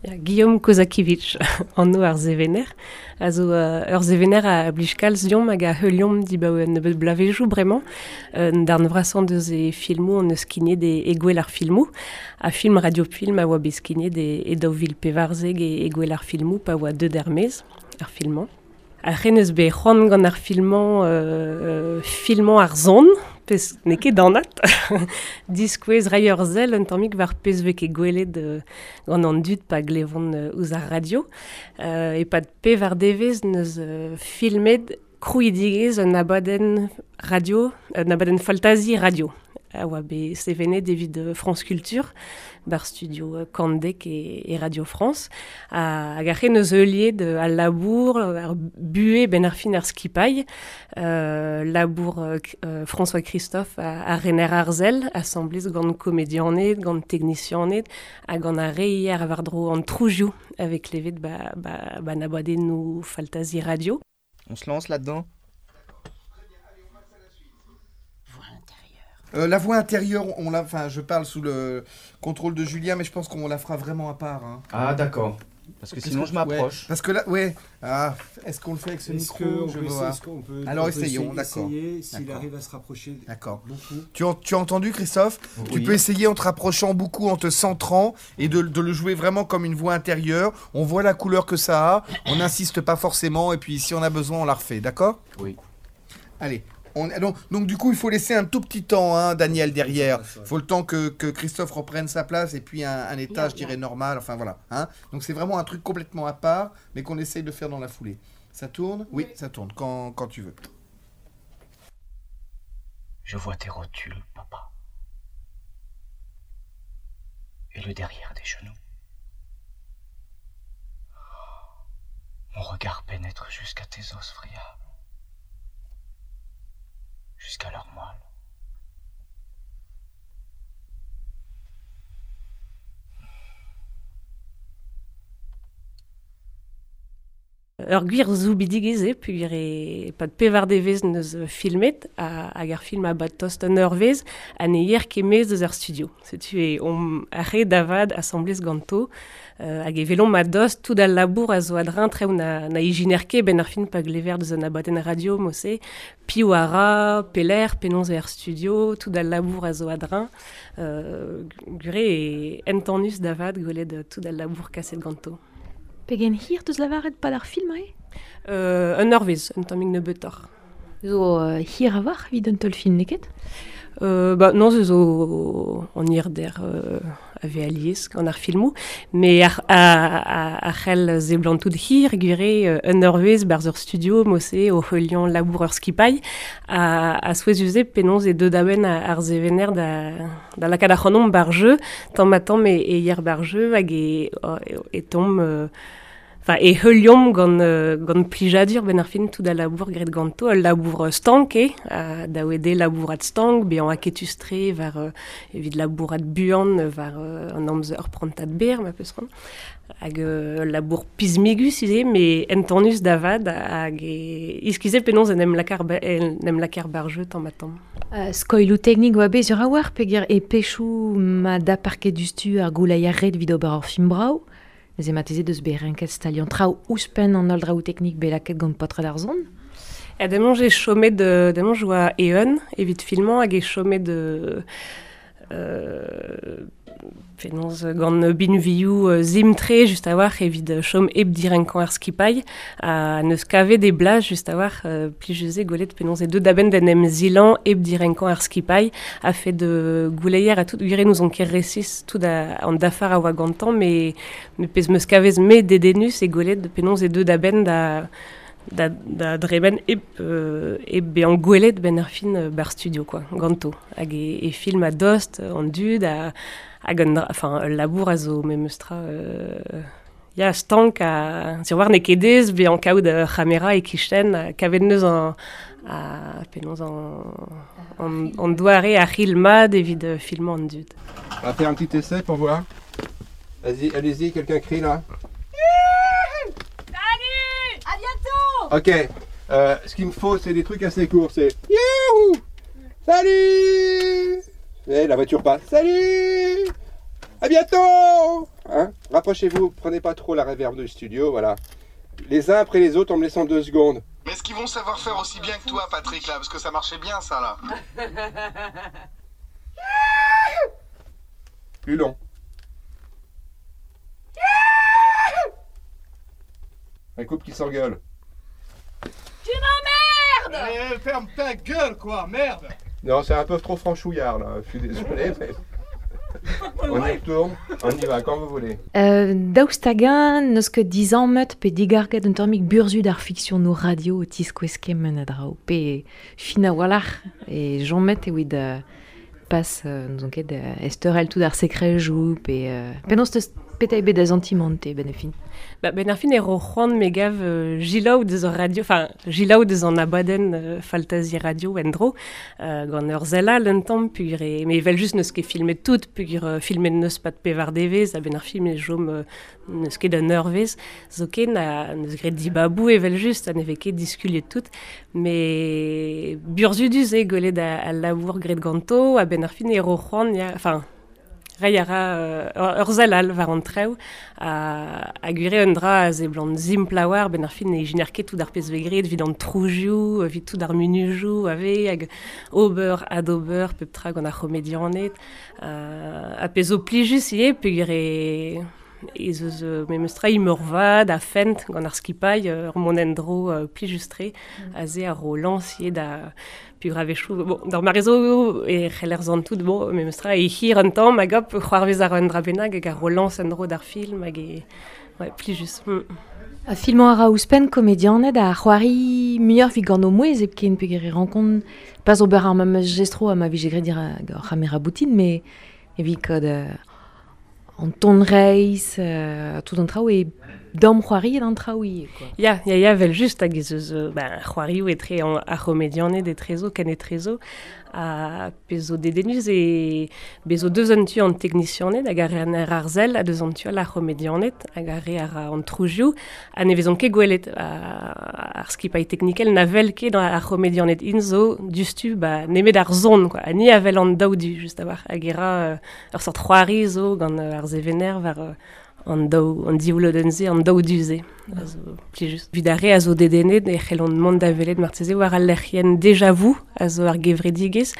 Ya, Guillaume Kozakiewicz, anv ar sevener, a zo ur sevener a blij kalz deomp hag a heuliomp dibaoe un nebeud bloavezhioù bremañ. Un darn vrasañ deus e filmoù hon eus skignet e, e Gouel ar filmoù. Ha film radiofilm a oa bet skignet e, e 2014 e, e Gouel ar filmoù pa oa deuet er-maez ar film-mañ. Ar c'hen eus bet c'hoant gant ar filmañ filmañ ar son, pezh n'eo ket anat. Diskouez reiñ ur sell un tammig war pezh 'vez ket gwelet gant an dud pa glevont ouzh ar radio. E-pad pevar devezh 'neus filmet krouidigezh un abadenn radio, un abadenn faltazi radio a oa bet sevenet evit France Culture bar studio Kandek e, e Radio France. Hag ar c'hen eus heuliet al labour, ar buhez ben ar fin ar skipailh, labour François Christophe ar rener arzel, asambles gant komedianed, gant teknisianed, ha gant ar re hier war-dro an trouzioù a vez klevet ba, ba, ba abadennoù faltazi radio. On se lance là-dedans La voix intérieure, on la, enfin, je parle sous le contrôle de Julien, mais je pense qu'on la fera vraiment à part. Hein. Ah d'accord. Parce que sinon je m'approche. Ouais, parce que là, ouais. Ah, est-ce qu'on le fait avec ce Est-ce micro que on Je peut veux essayer- voir. est-ce qu'on peut- Alors on peut essayons, essayer- d'accord. essayer S'il D'accord. arrive à se rapprocher D'accord. beaucoup. Tu, as- tu as entendu, Christophe? Tu Oui. peux essayer en te rapprochant beaucoup, en te centrant et de le jouer vraiment comme une voix intérieure. On voit la couleur que ça a, on n'insiste pas forcément et puis si on a besoin, on la refait, d'accord? Oui. Allez. On, donc du coup, il faut laisser un tout petit temps, hein, Daniel, derrière. Il faut le temps que Christophe reprenne sa place et puis un état, je dirais, normal. Enfin, voilà. Hein. Donc c'est vraiment un truc complètement à part, mais qu'on essaye de faire dans la foulée. Ça tourne? Oui, ça tourne, quand tu veux. Je vois tes rotules, papa. Et le derrière des genoux. Mon regard pénètre jusqu'à tes os friables. Jusqu'à leur moelle. Ur gwir soubidigezh eo peogwir e-pad pevar devezh neus filmet hag ar film a bad tost un eurvezh ha ne yer ket maez deus ar studio. Setu e omp arre da vat asambles ganto hag e velomp a-dost tout al labour a zo a-dreñv traoù na, na ijiner ket ben ar fin pa glever deus un abadenn radio mod-se, piv a ra, pelec'h, penaos eo ar studio, tout al labour a zo a-dreñv. Gure e entanus da vat gwelet tout al labour kaset ganto. Pegen hir deus lavaret pad ar film ae? Un eurvezh, un tammig nebeutoc'h. Zo hir a-walc'h evit un teul-film, n'eo ket? Ba, non, se zo an hirder a vez alies gant ar filmoù, mais ar, a, a, a c'hell seblantout hir, gwir un eurvezh barzh ur studio, mod-se, o heuliañ labour ur skipailh, a souezhus eo penaos e deut a-benn ar sevener da lakaat ac'hanomp bar jeu, tamm ha tamm e yer bar jeu, hag e, e tamm... Enfin, e heuliomp gant plijadur ben ar fin tout al labour graet ganto, ul labour stank eo, da oe de labourat stank, bezañ aketus-tre war evit labourat buan war an amzer prantad berr, ma peus c'hoant. Hag ul labour pismigus ivez, met entanus da vat, hag e iskize penaos en em lakaer ba, en em lakaer bar jeu tamm ha tamm. Skoilhoù teknik oa bet sur a-walc'h peogwir e pechoù ma da parket dustu ar gouleier ret evit ober ur film brav. Neuze marteze deus bet renket staliañ traoù ouzhpenn an holl draoù teknik bet lakaet gant paotred ar son. Ha demañ j'ai chomet de, demañ je oa eeun evit filmañ hag e chomet de penaos gant binvioù zimtre just a-walc'h evit chom hep direnkañ ar skipailh ha neus kavet e blas just a-walc'h plijus eo gwelet penaos e deut a-benn d'en em zilañ hep direnkañ ar skipailh a fait de gouleier ha tout gwir nous on ket resis tout a, an dafar a oa gantañ mais pezh meus kavez me dedennus e gwelet penaos e deut a-benn da dremen hep bezañ gwelet ben ar fin bar studio quoi, ganto. Hag e film a dost an dud hag un dra, enfin, ul labour a zo memes tra ya, stank a, sur war n'eo ket aes bezañ kaout ur c'hamera e kichen, ha kavet neus an, a, penaos an doare ar c'hil mat evit filmañ an dud. On va faire un petit essai pour voir. Vas-y, allez-y, quelqu'un crie là. Salut! À bientôt! Ok, ce qu'il me faut, c'est des trucs assez courts. C'est Youhou! Salut! Et la voiture passe. Salut! À bientôt! Hein? Rapprochez-vous, prenez pas trop la réverb du studio, voilà. Les uns après les autres en me laissant 2 secondes. Mais est-ce qu'ils vont savoir faire aussi bien que toi, Patrick, là? Parce que ça marchait bien, ça, là. Plus long. Un couple qui s'engueule. Tu m'emmerdes! Eh, ferme ta gueule, quoi, merde! Non, c'est un peu trop franchouillard, là. Je suis désolé, mais... On y retourne, on y va, quand vous voulez. Daoust hag-eñ n'eus ket dizammet pe digarget un tammig burzhud ar fiksionoù radio o tiskouez kement a draoù, pe fin a-walc'h e chomet evit pas n'ouzon ket esteurel tout ar sekrejoù pe penaos teus petra eo bet da santimant te ben ar fin? Ba, ben ar fin e ro c'hoant me gav jilaou deus ar radio, enfin jilaou deus an abadenn faltazi radio en-dro, gant ur sell all un tamm peogwir e, me evel just n'eus ket filmet tout, peogwir filmet n'eus pat pevar devezh, a-benn ar film e chom n'eus ket un eurvezh, zoken a n'eus graet dibabou evel just, ha ne vez ket diskuliet tout, mais burzhudus eo gwelet al labour graet ganto, a-benn ar fin e ro c'hoant, ya, enfin, reiñ a ra ur sell all war an traoù ha gwir eo un dra a seblant simpl a-walc'h, ben ar fin ne ijiner ket tout ar pezh vez graet evit an troujoù, evit tout ar munujoù a vez hag ober adober pep tra gant ar c'homedianed ha pezh zo plijus ivez peogwir e ez eus memes tra imor vat ha fent gant ar skipailh ur mont en-dro plijus-tre aze ar ro lañs ivez da peogwir a-wechoù, bon, d'ar mare zo e c'heller santout, bon, memes tra e hir un tamm hag hop c'hoarvez ar un dra bennak hag ar ro lañs en-dro d'ar film hag e ouais, plijus. A filmañ a ra ouzhpenn komedianed a c'hoari muioc'h evit gant o mouezh hepken peogwir e rankont pas ober ar memes jestroù ha ma vije graet dirak ur c'hamera boutin, mais evit kaout an ton reizh, tout an traoù e damm c'hoariet an traoù ivez, quoi. Ya, ya, ya, vel just hag ez eus ben, c'hoarioù etre ar c'homedianed etrezo, ken etrezo, ha pezh zo dedennus e bez zo deus an tu an teknisianed hag ar re an arzel ha deus an tu all ar c'homedianed hag ar re ar an troujoù ha ne vezont ket gwelet ar skipailh teknikel na wel ket ar c'homedianed int zo diouzhtu ba nemet ar son, quoi. Ha ni a wel an daou du just a-walc'h hag e ra ur sort c'hoari zo gant ar sevener war an daou, an div lodenn-se, an daou du-se. A zo plijus. Evit ar re a zo dedennet e c'hellont mont da welet marteze war al lec'hienn Déjà Vu, a zo ar gevredigezh,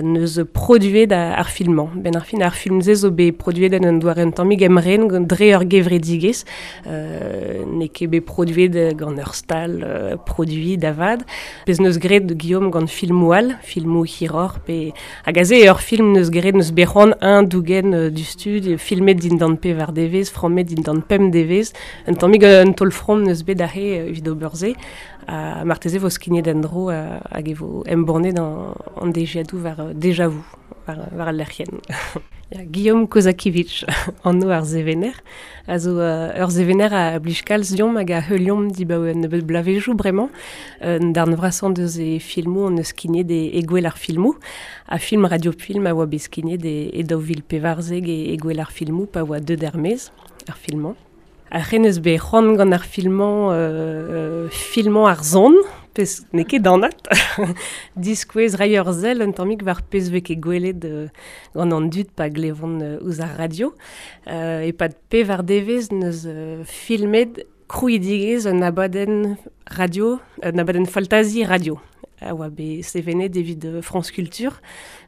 neus produet ar filmañ. Ben ar fin ar film-se zo bet produet en un doare un tammig emren gant dre ur gevredigezh, n'eo ket bet produet gant ur stal produit da vat. Pezh neus graet Guillaume gant filmoù all, filmoù hiroc'h, pe hag aze ur film neus graet neus bet c'hoant un dougen du stud, filmet dindan pevar devezh, frammet dindan pemp devezh, un tammig un taol from neus bet aze evit ober se, ha marteze vo skignet en-dro hag e vo embannet an dejiadoù war Déjà Vu, war al lec'hienn. Ya, Guillaume Kozakiewicz, anv ar sevener, a zo ur sevener a blij kalz deomp hag a heuliomp dibaoe un nebeud bloavezhioù bremañ. Un darn vrasañ deus e filmoù on eus skignet e gwell ar filmoù. Ha film radiofilm a oa bet skignet e 2014 e gwell ar filmoù pa oa deuet er-maez ar filmañ. Ar c'hen eus bet c'hoant gant ar filmañ filmañ ar son, pezh n'eo ket anat. Diskouez reiñ ur sell un tammig war pezh vez ket gwelet gant an dud pa glevont ouzh ar radio. E-pad pevar devezh neus filmet krouidigezh un abadenn radio, un abadenn faltazi radio. A oa bet sevenet evit France Culture,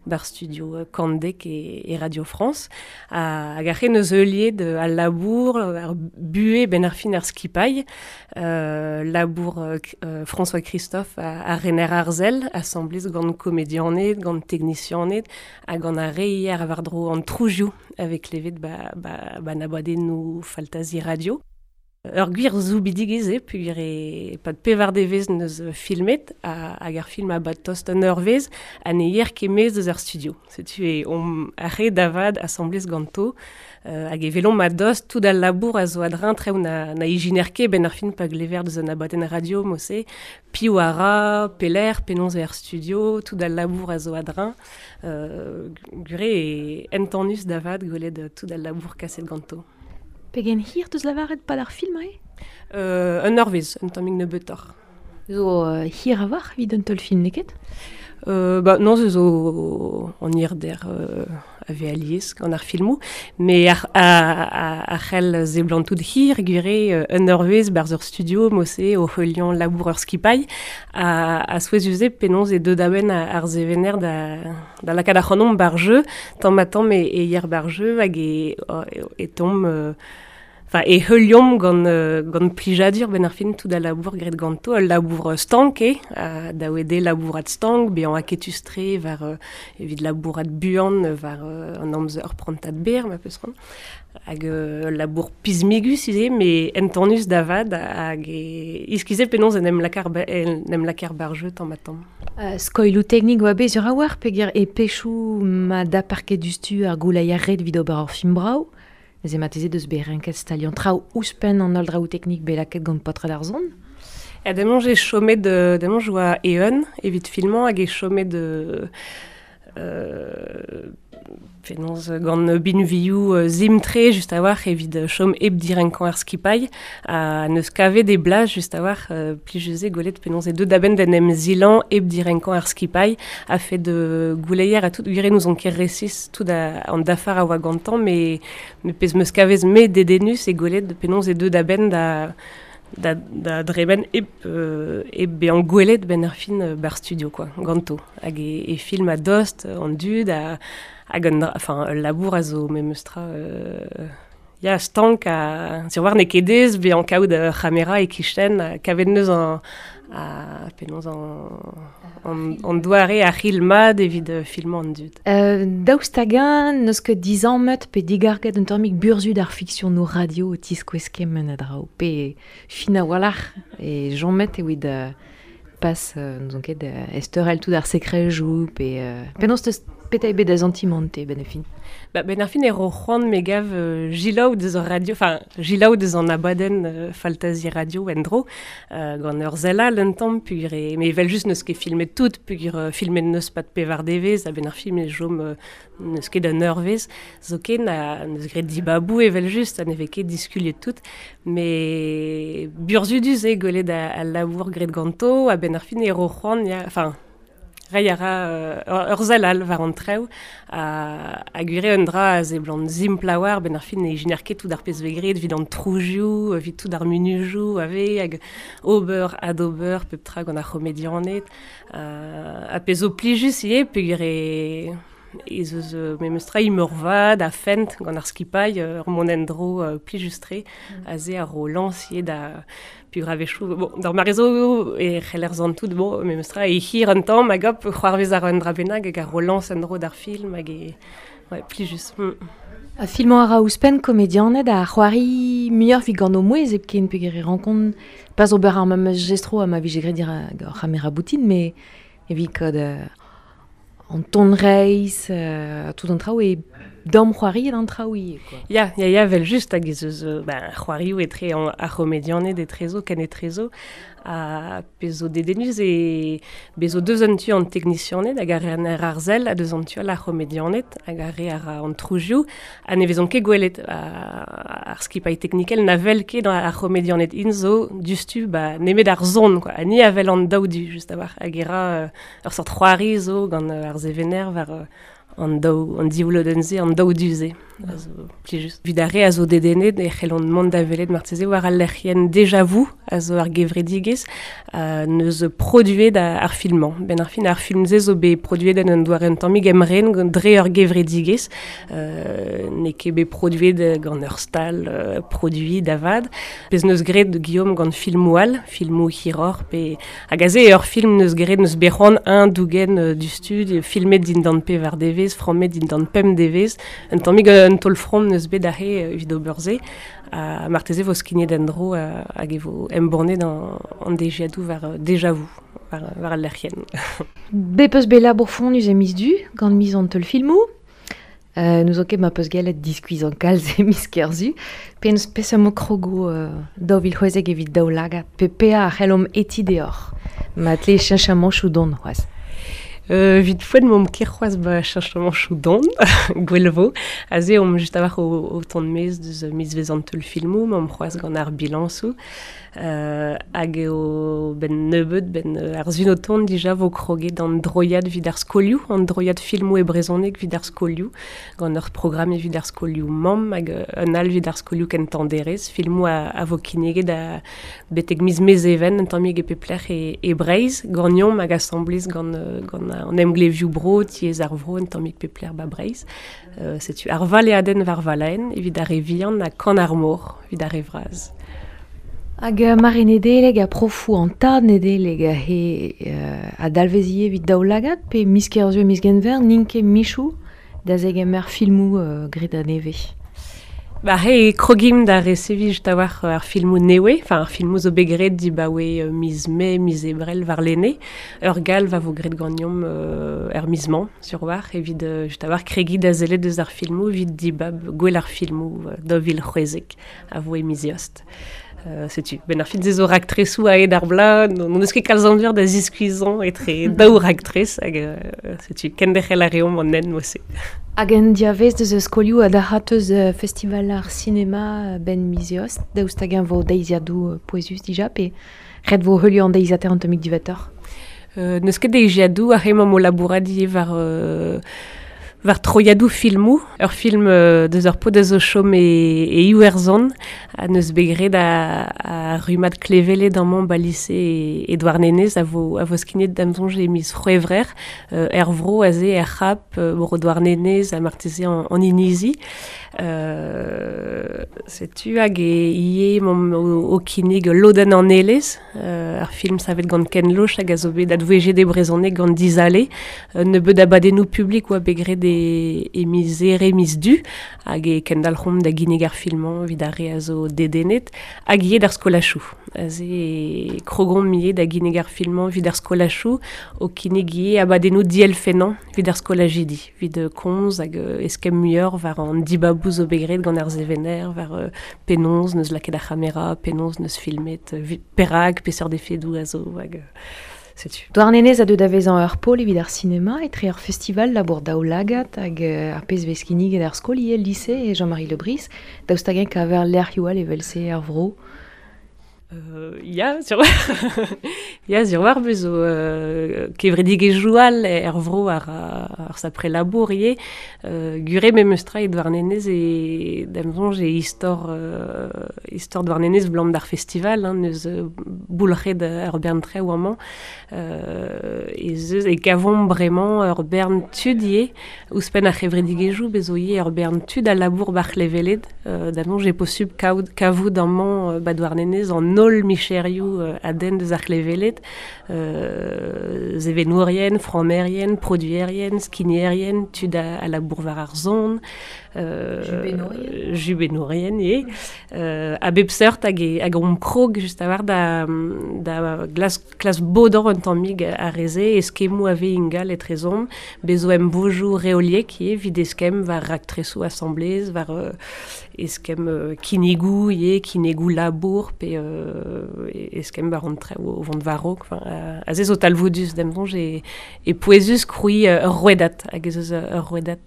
bar studio Kandek e Radio France. Hag ar c'hen eus heuliet al labour, ar buhe ben ar fin ar skipailh, labour François Christophe a rener arzel, asamblez gant komedianed, gant teknisianed, hag gant ar re hier war-dro an troujoù avec levet ba n'abadennoù faltazi radio. Ur gwir zoubidigezh eo, peogwir e pad pevar devezh neus filmet hag ar film a bad tost un eurvezh ha ne yer ket maez eus ar studio. Setu e omp ar re da vat asamblez ganto hag e velomp a-dost tout al labour a zo a-dreñv traoù na ijiner ket ben ar film pa glever deus un abadenn radio mose, piv a ra, pelec'h, penaos eo ar studio, tout al labour a zo a-dreñv. Gwir eo entanus da vat gwelet tout al labour kaset ganto. Pegen hir deus lavaret pad ar film ae? Un eurvezh, un tammig nebeutoc'h. Zo hir a-walc'h evit un taol film, n'eo ket? Ba, non, ze zo an hirder a ve alies gant ar filmoù, me ar c'hell seblantout hir gwire un eurvezh barzh ur studio mose o heuliañ labour ur skipailh a souezhus eo penaos e deu da benn ar sevener da lakaat ac'hanomp ba'r jeu tamm ha tamm e yer ba'r jeu hag e tamm Enfin, e heuliomp gant plijadur benn ar fin tout al labour graet ganto, ul labour stank eo, da oe dezhe labourat stank, bezañ aketus-tre war evit labourat buan war an amzer ur prantad berr ma peus c'hoant. Hag ul labour pismigus ivez, met entanus da vat hag iskis eo penaos en em lakaer ba'r jeu tamm-ha-tamm. Skoilhoù teknik oa bet sur a-walc'h peogwir e pechoù ma dapar ket diouzhtu ar gouleier ret evit ober ur film brav. Neuze marteze deus bet renket staliañ traoù ouzhpenn an holl draoù teknik bet lakaet gant paotred ar son. Ha demañ eo chomet demañ oa eeun evit filmañ hag eo chomet penaos gant binvioù simpl-tre just a-walc'h evit chom hep direnkañ ar skipailh ha n'eus kavet e blas just a-walc'h plijus eo gwelet penaos eo deuet a-benn d'en em zilañ hep direnkañ ar skipailh a-fet gouleier ha tout gwir eo n'ouzon ket resis tout an dafar a oa gantañ met met pezh 'm eus kavet me dedennus eo gwelet penaos eo deuet a-benn da da da dremen hep hep bezañ gwelet benn ar fin ba'r studio quoi ganto hag e film a-dost an dud ha hag un dra enfin ul labour a zo memes tra ya stank ha sur war n'eo ket aes bezañ kaout ur c'hamera e-kichen ha kavet 'neus an ha penaos an doare ar c'hil mat evit filmañ an dud. Daoust hag-eñ n'eus ket dizammet pe digarget un tammig burzhud ar fiksionoù radio o tiskouez kement a draoù pe fin a-walc'h e chomet evit pas n'ouzon ket ezteurel tout ar sekrejoù pe penaos 'teus petra eo bet da santimant-te benn ar fin? Ba, benn ar fin e ro c'hoant me gav jilaou deus ar radio, enfin jilaou deus an abadenn Faltazi Radio en-dro gant ur sell all un tamm peogwir e met evel-just n'eus ket filmet tout peogwir filmet n'eus pad pevar devezh a-benn ar film e chom n'eus ket un eurvezh zoken ha n'eus graet dibaboù evel-just ha ne vez ket diskuliet tout met burzhudus eo gwelet al labour graet ganto a-benn ar fin e ro c'hoant ya enfin Reiñ a ra ur sell all war an traoù ha gwir eo un dra a seblant simpl a-walc'h a-benn ar fin ne ijiner ket tout ar pezh 'vez graet evit an trouzioù, evit tout ar munujoù a vez hag ober, adober pep tra gant ar c'homedianed ha pezh zo plijus ivez peogwir ez eus memes tra imor vat ha fent gant ar skipailh, ur mont en-dro plijus-tre aze a ro lañs ivez da Peogwir a-wechoù, bon, d'ar mare zo e c'heller santout, bon, memes tra, e hir un tamm hag hop, c'hoarvez a ra un dra bennak hag a ro lañs en-dro d'ar film hag e, ouais, plijus. Ha filmañ a ra ouzhpenn komedianed a c'hoari muioc'h evit gant o mouezh hepken peogwir e rankont pas ober ar memes jestroù ha ma vije graet dirak ur c'hamera boutin met evit kaout an ton reizh, tout an traoù e damc'hoariet an traoù ivez quoi. Ya, ya, ya, evel-just hag ez eus ben, c'hoarioù etre ar c'homedianed etrezo, ken etrezo, ha pezh zo dedennus eo bez zo deus un tu an teknisianed hag ar re ar sell ha deus an tu all ar c'homedianed hag ar re a ra an trouzioù ha ne vezont ket gwelet ar skipailh teknikel na wel ket ar c'homedianed int zo diouzhtu ba nemet ar son quoi ha ni a wel an daou du just a-walc'h hag e ra ur seurt c'hoari zo gant ar sevener war an daou an div lodenn-se, an daou du-se a zo plijus. Evit ar re a zo dedennet e c'hellont mont da welet marteze war al lec'hienn Déjà Vu a zo ar gevredigezh neus produet ar film-mañ. Benn ar fin ar film-se zo bet produet en un doare un tammig emren dre ur gevredigezh. N'eo ket bet produet gant ur stal produiñ da vat. Pezh neus graet Guillaume gant filmoù all, filmoù hiroc'h pe Hag aze eo ur film n'eus graet n'eus bet c'hoant eñ dougen diouzhtu, filmet dindan pevar devezh, frammet dindan pemp devezh. Un tammig un taol-from n'eus bet aze evit ober se. Ha marteze vo skignet en-dro hag e vo embannet an deziadoù war Déjà Vu, war al lec'hienn. Bet peus bet labour fonnus e miz Du gant miz an teulfilmoù. N'ouzon ket ma peus gellet diskuizhañ kalz e miz Kerzu. Penaos peseurt mo krogo 2016 evit daoulagad pe pe'a a c'hellomp hetiñ deoc'h ma tle cheñchamanchoù dont c'hoazh. Vit foen mom ket c'hoazh ba cheñchamanchoù don, gwell vo. Aze omp just a-walc'h o tont maez deus mizvezh an teulfilmoù, m'omp c'hoazh gant ar bilañsoù. Hag eo ben nebeut, ben ar zun o tont dija vo kroget an droiad evit ar skolioù, an droiad filmoù e brezhoneg evit ar skolioù, gant ur programm evit ar skolioù mamm hag un all evit ar skolioù kentañ derez, filmoù a vo kinniget a betek miz Mezheven, un tammig e pep lec'h e Breizh, ganeomp hag asambles gant an emglevioù bro, tiez ar vro, un tammig pep lec'h ba Breizh. Setu ar valeadenn war valaenn evit ar re vihan ha kan ar mor evit ar re vras. Hag mare Nedeleg a profoù an tad Nedeleg he a dalvez ivez evit daoulagad pe miz Kerzu miz Genver n'int ket michoù da zegemer filmoù graet a-nevez. Ba he krogimp da reseviñ just a-walc'h ar filmoù nevez, enfin ar filmoù zo bet graet dibaoe miz Mae, miz Ebrel warlene. Ur galv a vo graet ganeomp er miz-mañ, sur war, evit just a-walc'h kregiñ da sellet deus ar filmoù evit dibab gwell ar filmoù 2016 a vo e miz Eost. Setu, ben ar fin se zo raktresoù a-hed ar bloaz, n'hon eus ket kalz amzer da ziskuizhañ etre daou raktres, hag setu, kenderc'hel a reomp an hent mod-se. Hag en diavez deus skolioù ha da eus festival ar sinema ben miz Eost, daoust hag-eñ vo deiziadoù pouezus dija, pe ret vo heuliañ an deiziataer an tammig diwezhatoc'h? N'eus ket deiziadoù, ar emañ o labourat ivez war troiadoù filmoù, ur film deus ur paotr a zo chom e Iwerzhon, ha neus bet graet a rummad klevelet amañ ba lise e Douarnenez a vo skignet da'm soñj e miz C'hwevrer, er vro aze er C'hap, bro Douarnenez ha marteze an Inizi. Setu hag e ivez momp o kinnig lodenn an Elez, ar film savet gant Ken Loach hag a zo bet advouezhiet e brezhoneg gant Dizale, nebeut abadennoù publik oa bet graet e miz Here, miz Du, hag e kendalc'homp da ginnig ar filmañ evit ar re a zo dedennet, hag ivez d'ar skolachoù. Aze e krogomp ivez da ginnig ar filmañ evit ar skolachoù, o kinnig ivez abadennoù dielfennañ evit ar skolajidi, evit komz hag eskemm muioc'h war an dibaboù zo bet graet gant ar sevener, war penaos neus lakaet ar c'hamera, penaos neus filmet, perak, peseurt efedoù a zo, hag setu. Douarnenez a deu da vezañ ur pol evit ar sinema etre ur festival labour daoulagad hag ar pezh vez kinniget ar skol ivez lise e Jean-Marie Le Bris, daoust hag-eñ kaver lec'hioù all evel-se er vro? Ya, sur ya, sur war bezo kevredigezhioù all er vro ar sapre labour ivez. Gure memes tra e Douarnenez e da'm soñj e istor Douarnenez blam d'ar festival, hein, neus boulc'het ur bern traoù amañ. Ez eus e kavomp bremañ ur bern tud ivez, ouzhpenn ar c'hevredigezhioù bezo ivez ur bern tud a labour bar c'hleveled. Da'm soñj eo posubl kavout amañ ba Douarnenez an holl micherioù a denn deus ar c'hleveled, sevenourien, frammerien, produerien, skignerien, tud a labour war ar son, jubenourien ivez, a bep seurt hag omp krog just a-walc'h da klas bodañ un tammig ar re-se, eskemmoù a vez ingal etrezomp, bezo emvojoù reoliek ivez, evit eskemm war raktresoù asamblez, war eskemm kinnigoù ivez, kinnigoù labour, pe eskemm war an traoù o vont war-raok. Enfin, aze zo talvoudus da'm soñj e pouezus krouiñ ur rouedad, hag ez eus ur rouedad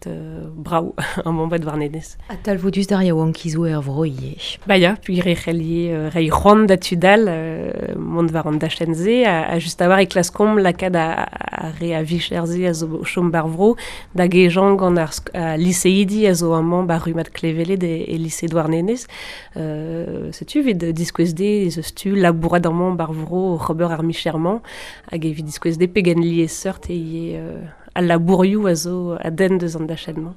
brav amañ ba Douarnenez. Ha talvoudus d'ar yaouankizoù er vro ivez. Ba ya, peogwir e c'hell ivez reiñ c'hoant da tud all mont war an dachenn-se, ha just a-walc'h e klaskomp lakaat ar re a vicher-se a zo o chom bar vro, da gejañ gant ar liseidi a zo amañ ba rummad kleveled e lise Douarnenez. Setu evit diskouez dezhe ez eus tu labourat amañ bar vro oc'h ober ar micher-mañ, hag evit diskouez dezhe pegen liesseurt eo ivez al labourioù a zo a denn deus an dachenn-mañ.